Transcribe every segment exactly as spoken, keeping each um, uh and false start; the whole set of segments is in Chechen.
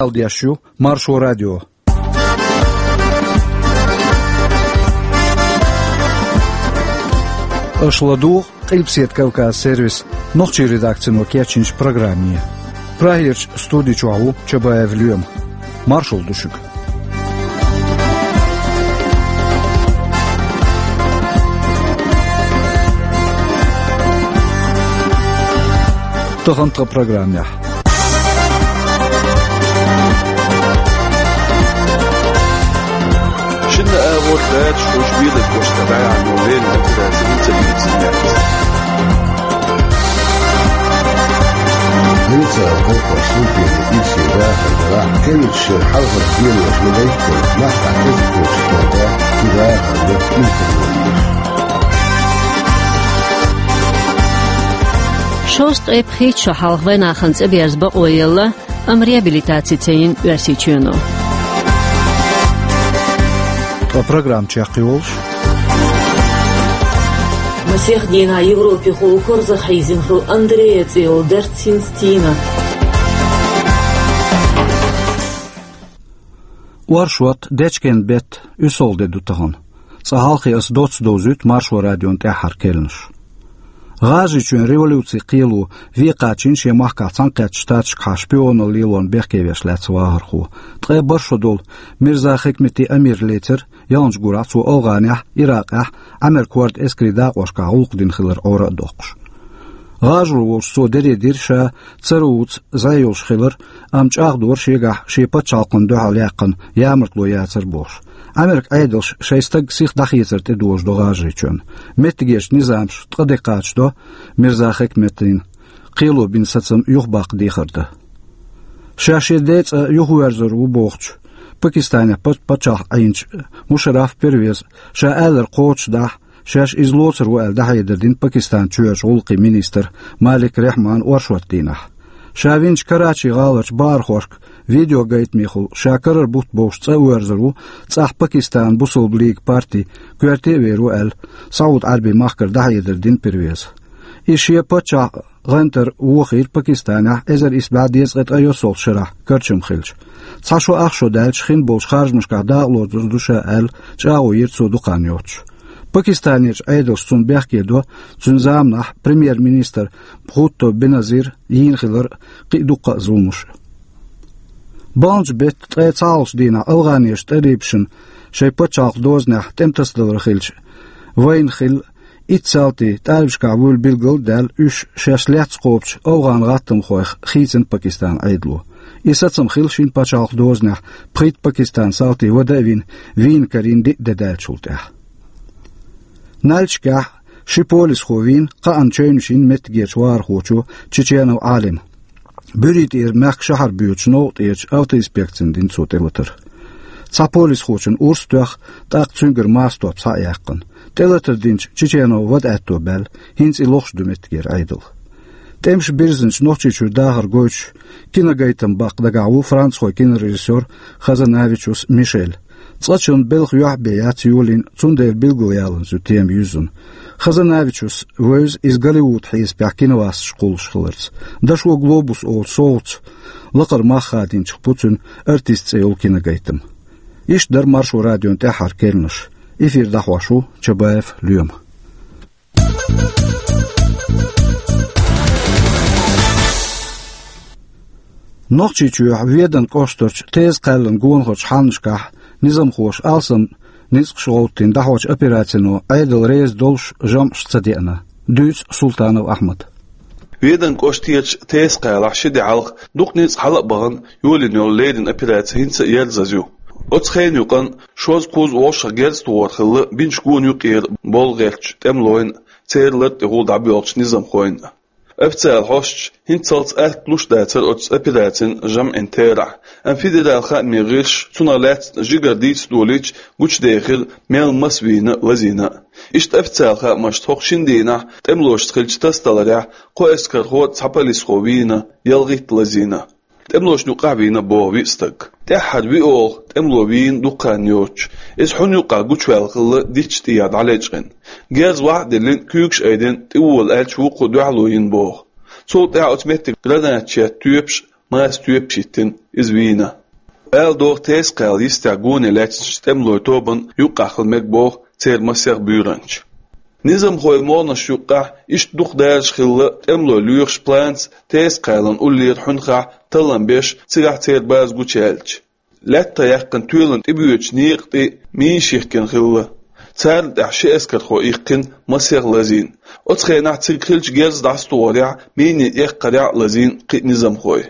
Ӏалдеш ю Маршо радио. Аша ладугӀу Къилбаседа Кавказ сервисан нохчийн редакцино кечйинчу программе. Прагерчу студи чохь ву Чабаев Лоьма. Маршалла ду шуьга. Тахана тхан программехь. Шинна агӀор дача хӀуш Белгородехь дӀаяьхьна леррина операци хӀинца а йийцина яц. ХӀинца а хӀокхо султене ирсе дахар дара, кевллачу шеран хьалхара денош ма дайтта, махкахь кхузткъа кхочуш долу да, цу дахарна информацеш. Шовзткъе пхийтта шо хьалха вайнахана цӀе берза бакъо елла, амма реабилитаци ца йина Оьрсийчоьно. Ткъа программа чекхйолуш. Масех дийнахь Европехула корзах хьийзина хилла Андрея цӀе йолу дарц хӀинца тийна. Оршот, дечкен беттан уьссалгӀа де ду тахана. Цкъа хьалхе аса доцца довзуьйту Маршо радион тӀаьххьара керланаш. ГӀажарийчоьнан революцин кхело вен кхачийна шен махкахь Цхьаьнакхеттачу Штаташкахьа шпионал лелорна бехкевеш лаьцна вахархо. Ткъе бархӀ шо долу Мирза Хикмети Амир лецира, ялханчу гурахь цо АфгӀанехь, Иракъехь, Ӏамеркан хӀордан эскарийн дакъошкахь гӀуллакх дина хилар Ӏора а доккхуш. ГӀажаро волчу цо даре дира ша цара вуьйцу зӀе йолуш хилар, амма чӀагӀдора шегахь шен пачхьалкхана дуьхьал яьккхина ямартло яцара бохуш. Ӏамеркан Ӏедалша шайн стаг сиха дӀахецар тӀедожадо ГӀажарийчоьнна. Меттигерчу низамаша ткъа де кхачадо Мирза Хикметина кхело бина сацам юхабаккха дехар дан. Ша шен ден цӀа юхаверзор ву бохучу, Пакистанехь пач-, пачхьалкх Ӏийначу Мушарраф Первеза, ша алар кхочушдахь, шаьш иза лоцур ву аьлла, дӀахьедар дина Пакистанан чоьхьарчу гӀуллакхийн министра Малик Рахьмана оршот дийнахь. Ша винчу Карачи гӀаларчу бахархошка видеогайтамехула ша карара бутт бовш цӀа а верзар ву цӀахь Пакистанан Бусалба Лиган парти коьрте а вер ву аьлла, СаӀуд-Ӏаьрбийн махкара дӀахьедар дина Первеза. И шен паччахь гӀантар вохийра Пакистанехь эзар исс бӀе дезткъе ткъе йоьссалгӀачу шарахь карчам хилча. Цхьа шо ах шо даьлча, хин болчу харжамашкахь дакъалоцур ду ша аьлла, чӀагӀо йира цо дукха хан йоцуш. Пакистанерчу Ӏедалша цунна бехке до, цуьнан заманахь премьер-министр Бхутто Беназира йийна хилар кхин а дуккха а зуламаш. Баханчу беттан ткъе цхьалгӀачу дийнахь АфгӀанерчу талибашна шайн пачхьалкхан дозанехь тӀематасадалар хилча, вайна хилла итт салти талибашкахь вуьйлу билгал а даьлла, уьш шаьш лаьцна кхобучу афгӀан гӀаттамхойх хийцина Пакистанан Ӏедало. И сацам хилла шина пачхьалкхан дозанехь пхийтта Пакистанан салти вада а вина, вийна карийна диъ де даьллачул тӀаьхьа. Нальчикехь ши полисхо вийна, кхаанна чевнаш йина меттигерчу вахархочо Чеченов Ӏалима. Буьрий тӀера мехкан шахьар боьдучу новкъа тӀерачу автоинспекцина дина цо тӀелатар. Цхьа полисхочун урс а тоьхна, тӀаккха цуьнгара мастор схьа а яьккхина. ТӀелатар динчу Чеченова вада аьтто баьлла, хӀинца и лохуш ду меттигера Ӏедал. ТӀемаш бирзинчу Нохчийчуьра дахар гойтуш, киногайтам баккха дагахь ву францхойн кинорежиссёр Хазанавичус Мишель. Цкъачунна белхан юьхь бен яц йолийна, цундела билгалъяланза ю тема юьззина. Хазанавичус вевза иза Голливуд хьесапехь киновасташ кхуллуш хиларца. Дашо «Глобус» олучу совгӀатца лакхара мах хадийначех бу цуьнан «Артист» цӀе йолу киногайтам. Иштта дара Маршо радион тӀаьххьара керланаш. Эфир дӀахьош ву Чабаев Лоьма. Нохчийчохь Веданан кӀоштарчу Теза-Кхаьллан гонахарчу хьаннашкахь низамхоша алсам ницкъаш гӀовттийна дӀахьочу операцино Ӏедал реза долуш жамӀаш ца деана, дуьйцу Султанов Ахьмада. Веданан кӀоштарчу Теза-Кхалахь ши де хьалха дукха ницкъ хьала а бахана йолийна йолу леррина операци хӀинца а ерзаза ю. Оцу хенан юкъанна шозза-кхузза вовшах герз тухур хилла бинчу гонан юкъера болх гӀертачу тӀемалойн а, церан лар тӀехула дӀабоьлхучу низамхойн а. Официалан хьосташа хӀинццалц атта луш дацара оцу операцин жамӀин терахь, амма федералан хаамийн гӀирсаша цунах лаьцна жигара дийца долийча гучудехира мел маса вийна а, лазийна а. Иштта официалан хаамашца хӀокху шина дийнахь тӀемалошца хиллачу тасадаларехь кхо эскархо а, цхьа полисхо вийна, ялхитта лазийна. ТӀемалошна юкъахь вийна боху виъ стаг. ТӀаьххьара виъ олу тӀемало вийна дукха хан йоцуш. Иза хьуна юкъахь гучуваьлла хилла дитташ тӀехьа дӀалечкъина. Герз вахьа а диллина, куьйгаш айдина, тӀевола аьлча вукхо дуьхьало йина боху. Цул тӀаьхьа оцу меттигашка гранаташ етта тоьпаш Маса тоьпаш йиттина иза вийна. Ала догӀу, Теза-Кхаьлла йистехь гоне лаьцначу тӀемалойн тобанна юккъехь хила мега боху церан массех буьйранча. Низамхойн могӀанаш юккъехь иштта дукха дараш хилла тӀемалой лоьхуш планца Теза-Кхаьллан уллера хьуьнхахь таллам беш, цигахь церан база гучуяьллачу. Лаьттах яьккхина тоьлан тӀебоьдучу некъа тӀе минаш йихкина хилла. Царна тӀехь ши эскархо иккхина, массех лазийна. Оцу хенахь цига хиллачу герз дӀасатохарехь, минийн эккхарехь а лазийна кхин а низамхой.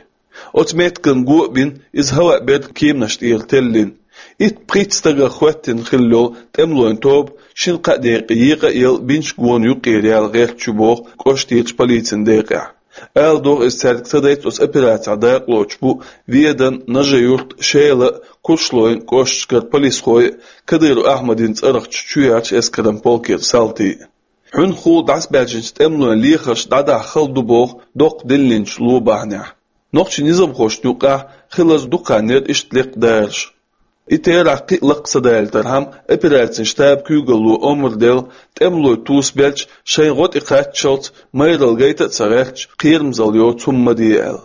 Оцу меттиган го а бина, иза хӀаваъ берг кеманаш тӀера теллина. Итт-пхийтта стагах хӀоьттина хилла йолу тӀемалойн тоба шина-кхаа декъе екъа а елла, бинчу гонан юккъера яла гӀерташ ю боху кӀоштарчу полицин декъехь. Ала догӀу, иза цаьрга ца дайта оцу операцехь дакъалоцуш бу Веданан, Нажи-Юртан, Шелан а, Куршлойн кӀошташкара полисхой а, Кадыров Ахьмадин цӀарахчу чоьхьарчу эскаран полкера салтий а. Хьуьнхахула дӀасабаьржинчу тӀемалойн лехарш дӀадахьа хала ду боху доккха диллинчу ло бахьанехь. Нохчийн низамхошна юккъехь хиларца дукха хан яра иштта лекха дараш. И терахь кхин а лакха ца далийтархьама, операцийн штабан куьйгалло омра делла, тӀемалой тосабелча, шайн гӀо тӀе кхаччалц майралла гайта а ца гӀерташ, кхерамзалла йоцу хӀума ма де аьлла.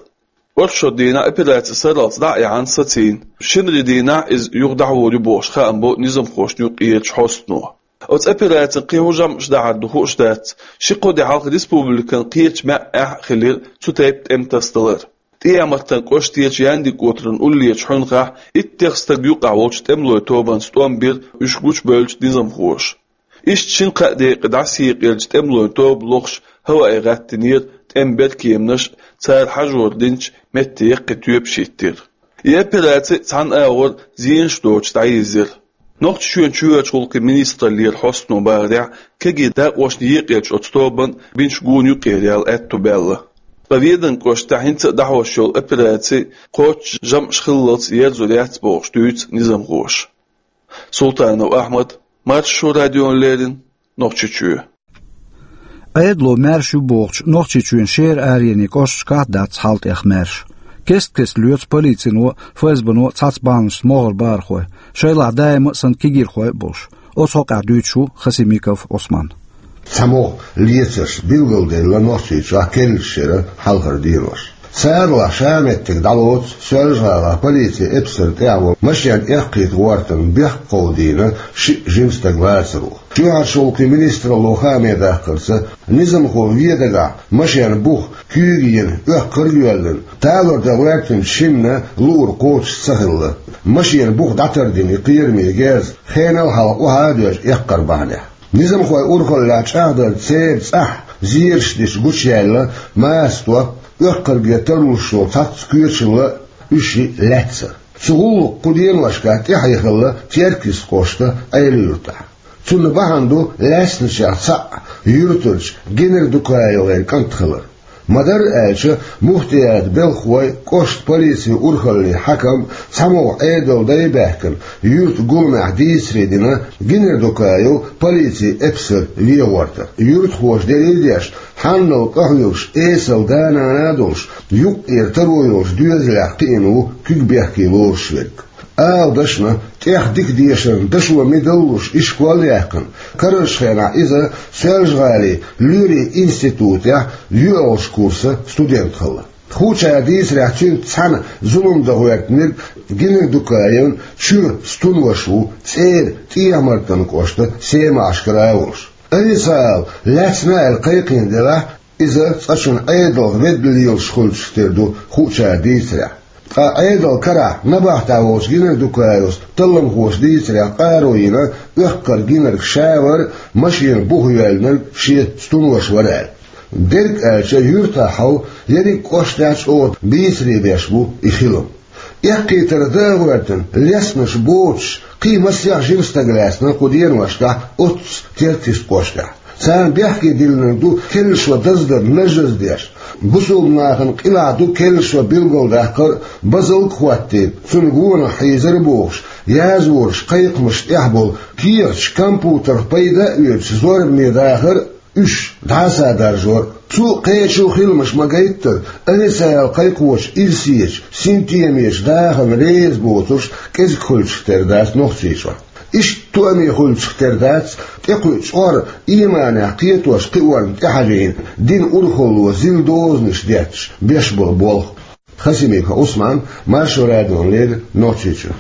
Оршот дийнахь операци сарралц дӀа а яьхьна, сацийна, шинарин дийнахь иза юха дӀахьур ю бохуш хаам бо низамхошна юккъерачу хьостано. Оцу операцин кхин хӀун жамӀаш дахьар ду хууш дац, ши-кхо де хьалха республикан кхечу маьӀӀехь а хилира цу тайпа тӀеман тасадалар. ТӀехьа-Мартан кӀоштарчу Яндик-Отаран уллерачу хьуьнхахь иттех стаг юккъехь волчу тӀемалойн тобанца тӀом бира уьш гучубевллачу низамхоша. Иштта шина-кхаа декъе дӀасаекъаеллачу тӀемалойн тоба лохуш хӀаваъе гӀаттийнера тӀеман беркеманаш а, цара хьажор динчу метте яккхий тоьпаш хӀиттира. И операци цхьана агӀор зенаш доцуш дӀайирзира. Нохчийчоьнан чоьхьарчу гӀуллакхийн министраллера хьостано бахарехь, кегий дакъошна екъаеллачу оцу тобанна бинчу гонан юккъера яла аьтто баьлла. Ткъа Веданан кӀоштахь хӀинца а дӀахьош йолу операци кхоччуш жамӀаш хиллалц ерзор яц бохуш дуьйцу низамхоша. Султанов Ахьмад, Маршо радиона леррина, Нохчийчоь. Ӏедало маьрша ю бохучу Нохчийчоьнан шера аренийн кӀошташкахь а дац хьал тӀех маьрша. Кест-кеста лоьцу полицино а, ФСБ-но а цхьацца бахьанашца могӀара бахархой, шайлахь даима а санна кегийрхой а болуш. Оцу хьокъехь дуьйцуш ву Хасимиков Ӏусман. Цхьа могӀа лецарш билгалделла Нохчийчохь керлачу шеран хьалхара денош. Царалахь ша меттиг дӀалоцу Соьлжа-ГӀалахь полицин эпсар тӀехь волу машен эккхийта гӀортарна бехк кховдийна шиъ жима стаг лацаро. Чоьхьарчу гӀуллакхийн министралло хааме даккхарца, низамхо Ведагахь машенан бух куьйга йина, оьккхар а йоьллина, талор дан гӀоьртинчу шинна луург кхочуш ца хилла. Машенан бух дӀатардина и кхераме герз хенал хьалха охьа а доьжна эккхар бахьанехь. Низамхойн урхаллехь чӀагӀдарца церан цӀахь зераш дича гучуяьлла маса топ, оьккхарге тарлуш йолу цхьацца коьчалла а, уьш лаьцна. Цу гӀуллакха кху деношкахь тӀаьхье хилла Теркйист кӀоштан Ӏела-Юьртахь. Цунна бахьана ду лаьцначех цхьаъ юьртарчу ГенердукаевгӀеран кӀант хилар. Ма-дарра аьлча, муфтиятан белхахой, кӀоштан полицин урхаллин хьаькам, цхьа могӀа Ӏедалан дай баьхкина, юьртан гуламехь дийцаре дина Генердукаев полицин эпсар вен гӀортар. Юьртахоша делла деш, хьанал къахьоьгуш, эсала да-нана а долуш, юккъера таро йолчу доьзалех кхиъна ву куьг бехке лоруш верг. Ала дашна, тӀех дика дешарна дашо мидаллуш ишкол а яьккхина, карарчу хенахь иза Соьлжа-ГӀалин лоьрийн институтехь йоьалгӀачу курсан студент хилла. Хуучара дийцарехь, цуьнца цхьаьна зулам дан гӀоьртинарг Генердукаевн чуьра стунваша ву, цӀера ТӀехьа-Мартан кӀоштан Семашкара а волуш. Официалан лаьцна аьлла кхайкхийна делахь, иза цкъачунна Ӏедалх ведда лелаш хуьлучух тера ду хуучара дийцарехь. Ткъа Ӏедалан карахь набахтехь волчу Генердукаевс талламхоша дийцарехь къаро йина, оьккхар гинарг ша вара, машенан бух йоьллинарг шен стунваша вара аьлла. Дерг аьлча, юьртахь хьал ерриг кӀоштехь чӀогӀа бийцаре беш бу и хилам. Эккхийтарх дан а гӀоьртина, лесташ боцуш, кхин массех жима стаг лаьцна кху деношкахь оццу Теркйист кӀоштехь. Царна бехке диллинарг ду керла шо даздар нажжаза деш. Бусулба нахана къилахь ду керла шо билгалдаккхар а, базалг а хӀоттийна, цунна гонах хьийзар а бохуш, язворчу кхайкхамашна тӀехь болу кехаташ компьютерх пайда а оьцуш зорбане дахар а, уьш дӀаса даржор а. Цу а, кхечу а хиламаш ма-гайттара, официалан кхайкхочу ирсечу, синтемечу дахарна реза боцурш кӀезиг хуьлучух тера дац Нохчийчохь. Иштта тоаме хуьлучух тера дац тӀекхуьу чкъор, ийманехь кхетош кхиорна тӀехьажийна, динан урхалло зил дозанаш детташ беш болу болх. Хасимиков Ӏусман, Маршо радиона леррина Нохчийчуьра.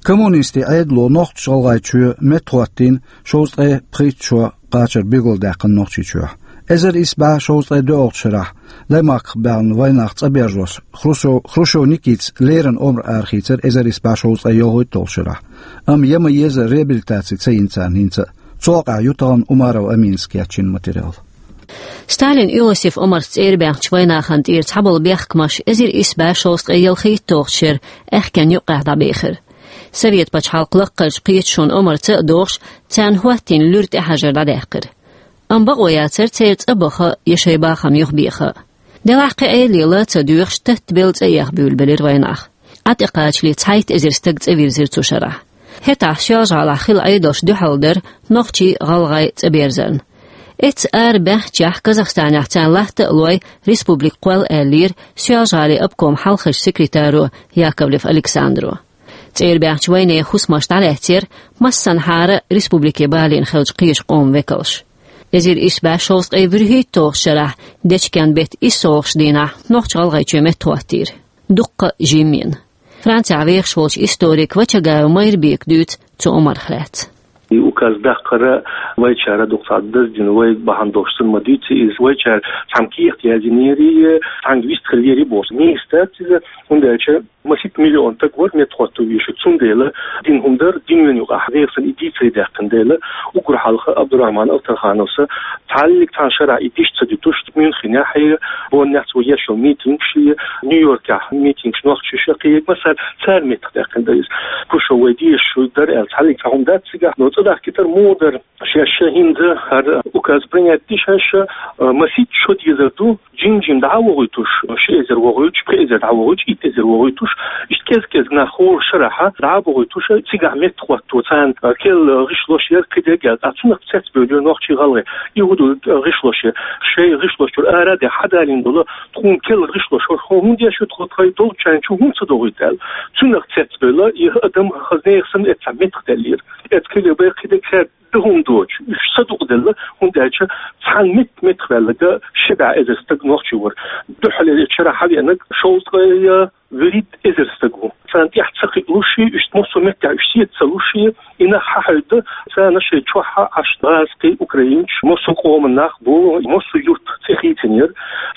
Коммунистийн Ӏедало Нохч-ГӀалгӀайчоь меттахӀоттийна шовзткъе пхийтта шо кхачар билгалдаьккхина Нохчийчохь. Эзар исс бӀе шовзткъе доьалгӀачу шарахь Даймахках баьхна вайнах цӀаберзош Хрущев, Хрущев Никитас леррина омра арахийцар эзар исс бӀе шовзткъе ялхайтталгӀачу шарахь. Амма ян ма еза реабилитаци ца йина царна хӀинца а. Цу хьокъехь ю тахана Умарова Аминас кечйина материал. Сталин Иосиф омарца цӀерабаьхначу вайнахана тӀера цхьаболу бехкамаш эзар исс бӀе шовзткъе ялхайтталгӀачу шеран аьхкенна юккъехь дӀабехира. Совет пачхьалкх лаккхарчу кхеташонан омарца а догӀуш, царна хӀоттийна луьра тӀехьажар дӀадаьккхира. Амма бакъо яцара церан цӀа баха я шайн бахам юхабеха. Делахь кхин Ӏедале ла а ца доьхуш, таттабелла цӀа эха буьйлабелира вайнах. Ӏа тӀекхачале цхьайтта эзар стаг цӀа вирзира цу шарахь. ХӀетахь Соьлжа-ГӀалахь хилла Ӏедалш дуьхьал дара нохчий, гӀалгӀай цӀа берзарна. Эцца ара баьхначехь Казахстанехь царна латта а лой, республика кхолла аьллера Соьлжа-ГӀалин обкоман хьалхарчу секретаро Яковлев Александро. ЦӀерабаьхначу вайнехан хӀусамаш дӀалаьцнера массанхьара республике балийна хиллачу кхечу къоман векалш. Эзар исс бӀе шовзткъе вуьрхӀитталгӀачу шарахь дечкен беттан иссалгӀачу дийнахь Нохч-ГӀалгӀайчоь меттахӀоттийра. Дуккха а жимма йина. Францехь вехаш волчу историк Вачагаев Майрбека дуьйцу цу омарх лаьцна. И указ даккхар вайчара дукха цхьа даздина, вай бахьана долуш санна ма дуьйцу иза. Вайчара цхьана кехат яздинера, цхьаьнгга вистхилира и бохуш. Нийса дац иза, хӀунда аьлча масийтта миллион стаг вара меттахӀотто везаш. Цундела дина хӀума дара, динан юкъахь нехан санна и дийца ца даьккхина дела, уггар хьалха Абдурахман Алтархановс цхьаллиг цхьана шарахь и диш ца дуьтуш, Мюнхенехь а, Боннехь цо еш йолу митингаш а, Нью-Йоркехь митингаш нохчаша кхин а, массара цара меттахдаьккхина дара иза. Хрущев вай дезаш шу дара аьлла, цхьаллиг цхьа хӀума дац цигахь, но цӀа дахкийтар муха дара. Шаьш хӀинца хӀара указ принять ди шаьш, а, масийтта шо дезар ду, жим-жим дӀа а вохуьйтуш, ши эзар вохуьйтуш, пхи эзар дӀа а вохуьйтуш, итт эзар вохуьйтуш, иштта кӀез-кӀезиг нах хӀора шарахь дӀа а бохуьйтуш, цигахь меттахӀотто царна, а, керла гӀишлош яра кхидерг аьлла, цунах цецбевлира нохчий, гӀалгӀай. И хӀун ду гӀишлош яра? Шайн гӀишлош чуьра ара а даьхна, хьадалийна долу тхуна керла гӀишлош, хӀун, хӀунда еш ю тхо тхайн долчарна чу хӀунда ца дохуьйту аьлла. Цунах цецбевлла, и адам хаза нехан санна эццахь меттахдаьллера. Эццахь кхидерг бен кхидерг хӀара ду хӀума доцуш, уьш садукъаделла, хӀунда аьлча цхьана метта-меттахваьлларг ши бӀе эзар стаг нохчий вара. Дуьххьарлера эцу шарахь хьавеанарг шовзткъе вуьрхӀитта эзар стаг ву. Царна тӀаьхьа ца кхиалуш, уьш массо а меттехь уьш сецца ца луш, и нах хьахьаьвда, царна шайн чохь Ӏаш гӀазкхий, украинцаш, массо а къоман нах бу, массо а юрт цӀе хийцинера,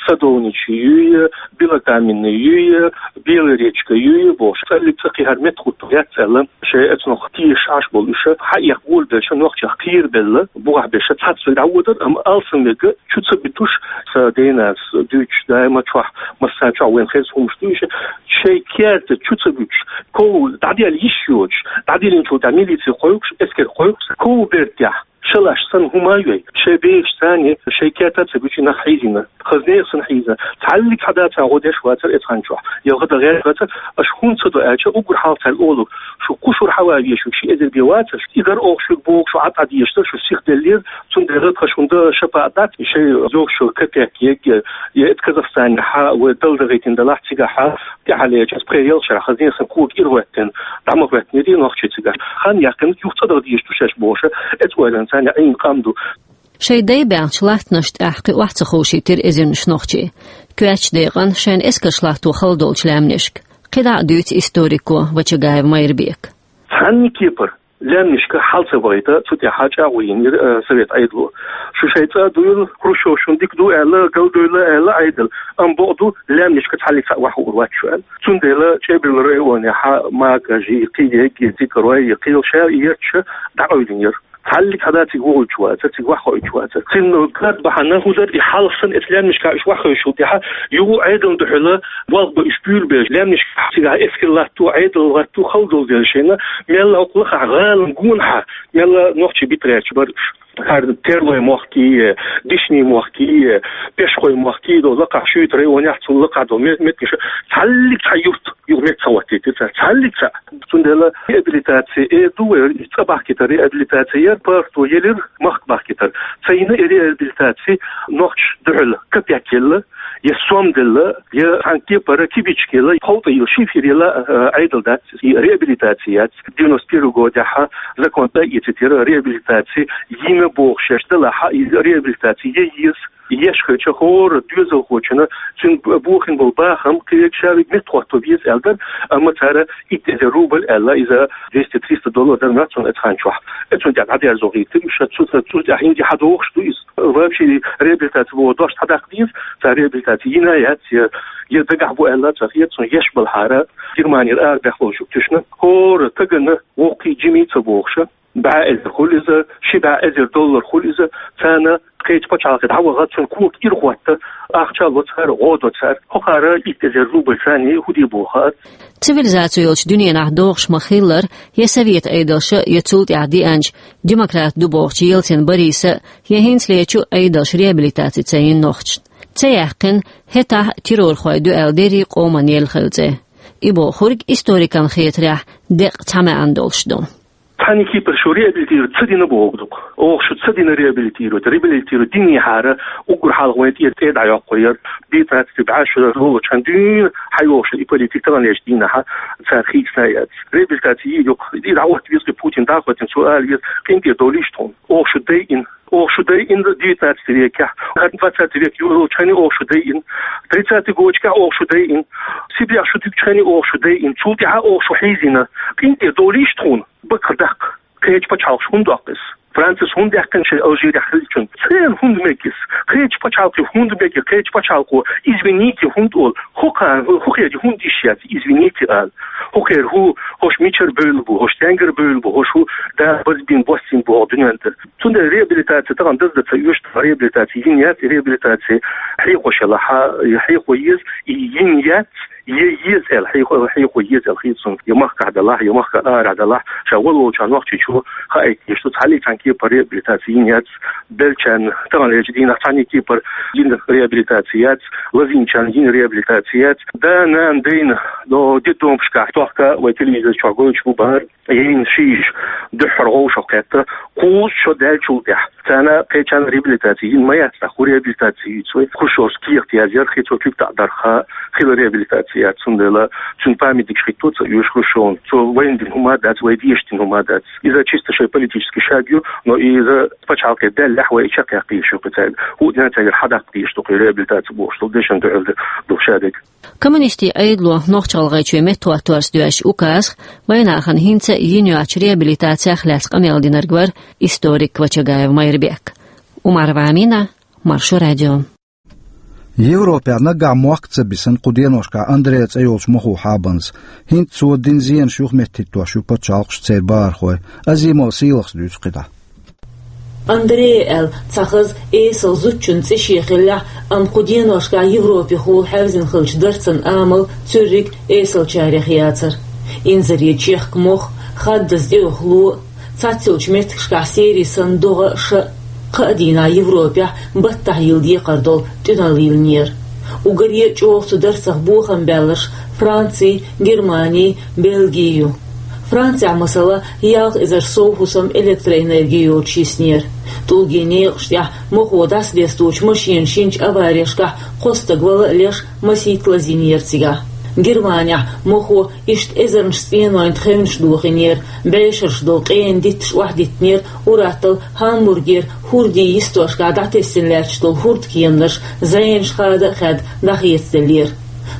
Садовничий юй, Белокаменный юй, Белая речка юй бохуш. Цхьаллиг цӀа кхин хӀара меттахӀотто яц аьлла, шайн эцунах тешаш Ӏаш болу уьш, хьаэха гулбеллачу нохчех кхерабелла, бухахь берш цхьацца дӀавоьдура, амма алсамверг чу ца буьтуш, сан денас дуьйцуш, даима чохь, массарна чохь вайн хезна хӀуманаш ду уьш, шайн керта чу ца буьтуш, ков дӀаделла йиш йоцуш, дӀадиллинчул тӀаьхьа милици кхойкхуш, эскар кхойкхуш, ков бертехь шалаш санна хӀума а йой, шайн бехаш царна, шайн керта ца буьтуш нах хьийзийна. Хаза нехан санна хьийза. Цхьаллиг хьада царна гӀо деш вацара эцу хан чохь. Ялха дан гӀерташ вацара, аша хӀунда ца до аьлча, уггар хьалха цаьрга олург: шу кху шура хьаван везаш ву, ши эзар бен вацара, и дар оха шуьга боху, шу Ӏад Ӏа дезаш дара, шу сиха деллера, цундела тхан шуна дан шапа а дац, шайн йогуш йолу капек егга, я эцу Казахстанехь вай дала дагӀийтина далахь цигахь, тӀаьхьарлерчу пхи-ялх шарахь хаза нехан санна кога ирахӀоьттина, дӀа ма хӀоьттинера нохчий цигахь. Хан яьккхина, юха цӀа даха дезаш ду шаьш бохуш, эцу ойланца царна Ӏийна къам ду. Шайн дай баьхначу латтанашна тӀехь кхин охьа ца ховшийтира эзарнаш нохчий. Коьртачу декъана шайна эскарш латто хала долчу лаьмнашка. КхидӀа а дуьйцу историко Вачагаев Майрбека. Цхьанна кепара лаьмнашка хьал ца бахийта, цу тӀехь чӀагӀо йинера, э, совет Ӏедало. Шу шайн цӀа а дуйла, Хрущев шуна дика ду аьлла, галдойла аьлла Ӏедал. Амма бакъ ду, лаьмнашка цхьаллиг цхьаъ охьахуур вац шу аьлла. Цундела ЧӀебарла районехь Макажи, кхин егги, Цикарой, кхин шаьш етташ дӀакъевлинера. Цхьаллиг хьада цига вохуьйтуш вацара, цига охьахуийтуш вацара. Цуьнан карта бахьана хӀун дара, и хьалха санна эцу лаьмнашкахь уьш охьахевшичул тӀаьхьа, юха Ӏедална дуьхьала болх бан уьш буьйлабелча, лаьмнашкахь цигахь эскар латто Ӏедал гӀатту хала долу дела шайна, мелла хӀокху лакхахь гӀалина гонахьа, мелла нохчий бита гӀерташ бара уьш. ХӀара Терлой мохкий, Дишний мохкий, Пешхой мохкий долу лакхахь, шуьйта районехь цул лакхахь долу ме-, меттигаш, цхьаллиг цхьа юрт юха меттахӀоттийтира цара, цхьаллиг цхьаъ. Цундела реабилитаци эр ду вай, цӀа бахкийтар реабилитаци яра, парто елира, махка бахкийтар. Ца йина и реабилитаци нохчашна дуьхьал капек елла, я сом делла, я цхьана кепара кибичка елла, ховтӀа йилла, шифер елла, а, Ӏедал дац, и реабилитаци яц. Девяносто первый годехь закон тӀаэцийтира, реабилитаци йина бохуш шаьш далахь, и реабилитаци ян еза. Еш хилча хӀора доьзалхочунна цуьнан бохийна болу бахам кхечу шаверг меттахӀотто веза аьлла дара, амма цара итт эзар рубль аьлла, иза двести-триста доллар дара нацунна оцу хан чохь. Оцунна тӀехь дӀадерзо гӀиртира уьш, цу, цу тӀехь хӀинца хьадохуш ду иза. Вообще реабилитаци боху дош хьадаккха деза, цара реабилитаци йина яц, я, я дагахь бу аьлла, ца хета, цунна еш балхьара, Германера арабехло шу туьшна, хӀора стагана воккхий жимий ца бохуша. БӀе эзар хуьлу иза, ши бӀе эзар доллар хуьлу иза, царна кхечу пачхьалкхе дӀаваха, цуьнан когаш ирахӀотта, ахча ло цара, гӀо до цара. ХӀокхара итт эзар рубль царна хӀун де боху хаьа. Цивилизаци йолчу дуьненахь догӀуш ма-хиллара, я совет Ӏедалша, я цул тӀаьхьа деанчу демократ ду бохучу Ельцин Бориса, я хӀинцалерчу Ӏедалша реабилитаци ца йина нохчашна. Ца яьккхина, хӀетахь террорхой ду аьлла дерриг къоман елла хилла цӀе. И бохург историкан хетарехь деккъа цхьа маьӀна долуш ду. Цхьана кепара шу реабилитировать ца дина боху ду-кх. Оха шу ца дина реабилитировать. Реабилитировать динехьара, уггар хьалха вайн тӀера тӀе дӀайоккхур яра. Битнаций бӀаьш шу лолучхьан дуьйна хьайогӀуш и политика таханлерчу дийнахьа цара хийцина яц. Реабилитаци йийр ю-кх. И дӀахӀотта веза-кх Путин, дӀахӀоттийна цо ала веза, къинтӀера довлийша тхуна. Оха шу дайина. Оха шу дайина девятнадцатый векехь. ХӀара двадцатый век йолучхьана оха шу дайина. Тридцатый годашкахь оха шу дайина. Сибрехь шу дуьгучхьана оха шу дайина. Цул тӀаьхьа оха шу хьийзийна. КъинтӀера довлийша тхуна. Бакъ даккха. Кхечу пачхьалкхаша хӀунда доккху иза? Францис хӀунда даьккхина шайн Алжирехь хиллачунна? Церан хӀунда мега иза? Кхечу пачхьалкхе хӀунда мега? Кхечу пачхьалкхо извините хӀунда олу? ХӀокхарна, хӀокхерчу хӀунда йиш яц извините ала? ХӀокхеран хӀу, хӀорш мичара бевлла бу, хӀорш стенгара бевлла бу, хӀорш хӀу да базбина, боссийна бу хӀокху дуьнен тӀера? Цундела реабилитаци тахана даздан ца оьшу, реабилитаци йина яц, реабилитаци хьехош елахь, хьехо еза, и йина яц, е еза аьлла, хьехо, хьехо еза аьлла хета суна. Я махкахь делахь, я махкахь арахь делахь, ша вала волчарна нохчичо хаийта дезаш ду, цхьаллий цхьана кепара реабилитаци йина яц, беллачарна таханлерчу дийнахь цхьанний кепара йина реабилитаци яц, лазийначарна йина реабилитаци яц. Да, нана, дайна, но детдомашкахь тохка вай телевизор чохь гойтуш бу бахара. Йина ши йиша дуьххьара вовшахкхетта, кхузткъа шо даьллачул тӀаьхьа. Царна кхечарна реабилитаци йина ма яц, тӀаккха хӀун реабилитаци юьйцу вай? Кху шорша кехат язъяра, хи цо куьг таӀа дарха, хила реабилитаци яц, цундела цуьнан памятникаш хӀитто ца оьшу Хрущевна. Цо вайна дина хӀума дац, вай дешна дина хӀума дац. Иза чисто шайн политический шаг ю, но иза пачхьалкхе даьллехь вай и чекхъяккха йиш ю-кх цаьрга. ХӀуъа дина цаьргара хьадаккха дезаш ду-кх и реабилитаци бохуш долу дешан дуьхьал ду шадерг. Коммунистийн Ӏедало Нохч-ГӀалгӀайчоь меттахӀоттарца доьзначу указах вайнахана хӀинца йина йоцучу реабилитацех лаьцна къамел динарг вара историк Квачагаев Майрбек. Умарова Амина, Маршо радио. Европехь наггахь мохк а ца бисина кху деношкахь Андреа цӀе йолчу мохо хьабанза. ХӀинца цо дина зенаш юхаметтахӀиттош ю пачхьалкхаш, церан бахархой. Азимова Сийлахьас дуьйцу кхидӀа. Андреа аьлла цхьа хаза эсала зудчун цӀе шен хиллехь, амма кху деношкахь Европехула хьаьвзина хиллачу дарцан амал цуьрриг эсалчарех яцара. Инзаре чехка мох, хаддаза тӀеюху ло, цхьацца йолчу меттигашкахь серий санна догӀа а, ша а, кхаа дийнахь Европехь баттахь йилла декхар долу тӀуьналла йиллинера. Уггаре а чӀогӀа цу дарцах бохам баьлларш Франци, Германи, Бельги ю. Францехь, масала, ялх эзар сов хӀусам электроэнерги йоцуш йиснера. ТӀулгийн некъаш тӀехь мохо дӀасадесточу машенаш йинчу аварешкахь кхо стаг вала а леш, масийтта лазийнера цигахь. Германехь мохо иштта эзарнаш цӀенойн тхевнаш дохийнера, бӀешераш долу къена дитташ охьадиттинера, ур-атталла Хамбургера хӀордийн йистошкахь дӀатесна лаьтташ долу хӀордкеманаш зӀенаш хада а хаьдда дӀахецаделлера.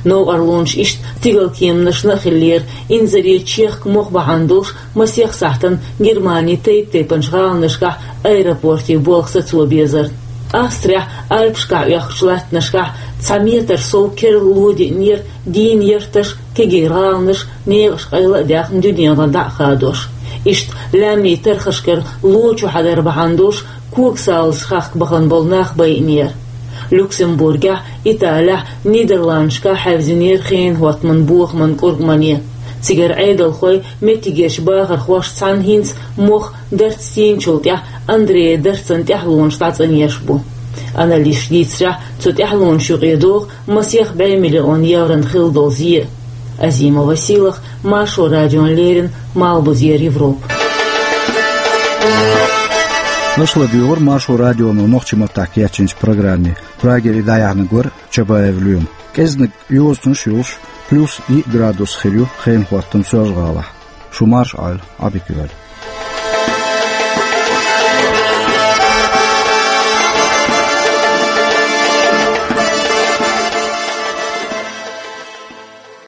Новкъарлонаш иштта стигалкеманашна а хиллера, инзаре чехка мох бахьана долуш масех сахьтана Германин тайп-тайпанчу гӀаланашкахь аэропортийн болх сацо безара. Австрехь Альпашкахь оьхкучу латтанашкахь цхьа метр сов керла ло диънера, дийна ярташ, кегий гӀаланаш, некъаш къайла а даьхна дуьненара дӀа а хадош. Иштта лаьмнийн тархашкара ло чухьадар бахьана долуш когсалазаш хахка бахана болу нах байинера. Люксембургехь, Италехь, Нидерландашкахь хьаьвзинера хенан хӀоттаман бохаман кӀургмане. Цигара Ӏедалхой, меттигерчу бахархошца цхьаьна хӀинца мох дарц тийначул тӀаьхьа Андреан дарцан тӀаьхьалонаш дӀацӀанъеш бу. Аналисташа дийцарехь, цу тӀаьхьалонаш юкъе догӀу масех бӀе миллион еврона хилла долу зен. Азимова Сийлахь, Маршо радиона леррина, Малхбузера Европа. Аша ладуьйгӀура Маршо радионо нохчийн маттахь кечйинчу программе. Прагера и дӀаяьхьнарг вара Чабаев Лоьма. КӀеззиг йозанаш йолуш, плюс йиъ градус хир ю хенан хӀоттам Соьлжа-ГӀалахь. Шу марша Ӏойла, Ӏадика йойла.